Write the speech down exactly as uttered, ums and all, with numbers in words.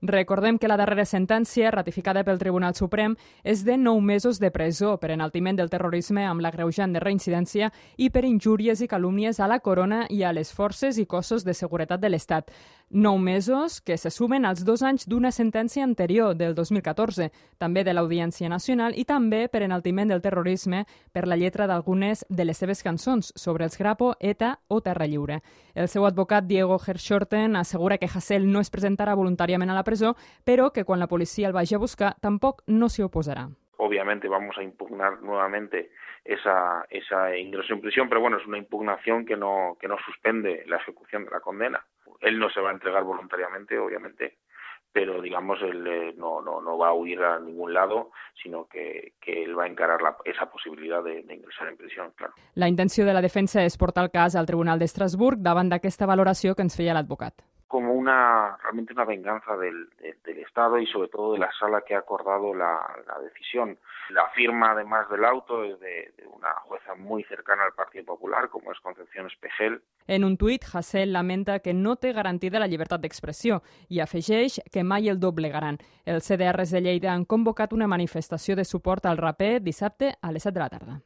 Recordem que la darrera sentència, ratificada pel Tribunal Suprem, és de nou mesos de presó per enaltiment del terrorisme amb l'agreujant de reincidència i per injúries i calúmnies a la corona i a les forces i cossos de seguretat de l'Estat. Nou mesos que se sumen als dos anys d'una sentència anterior, del dos mil catorze, també de l'Audiència Nacional i també per enaltiment del terrorisme per la lletra d'algunes de les seves cançons sobre els Grapo, ETA o Terra Lliure. El seu advocat, Diego Hershorten, assegura que Hasél no es presentarà voluntàriament a la presó, pero que cuando la policía el vaya a buscar tampoco no se oposará. Obviamente vamos a impugnar nuevamente esa, esa ingreso en prisión, pero bueno, es una impugnación que no, que no suspende la ejecución de la condena. Él no se va a entregar voluntariamente, obviamente, pero digamos, él eh, no, no, no va a huir a ningún lado, sino que, que él va a encarar la, esa posibilidad de, de ingresar en prisión, claro. La intenció de la defensa és portar el cas al Tribunal d'Estrasburg davant d'aquesta valoració que ens feia l'advocat. Como una realmente una venganza del, de, del Estado y sobre todo de la sala que ha acordado la, la decisión. La firma, además del auto, es de, de una jueza muy cercana al Partido Popular, como es Concepción Espejel. En un tuit, Hasél lamenta que no té garantida la llibertat d'expressió i afegeix que mai el doblegaran. Els C D Rs de Lleida han convocat una manifestació de suport al raper dissabte a les set de la tarda.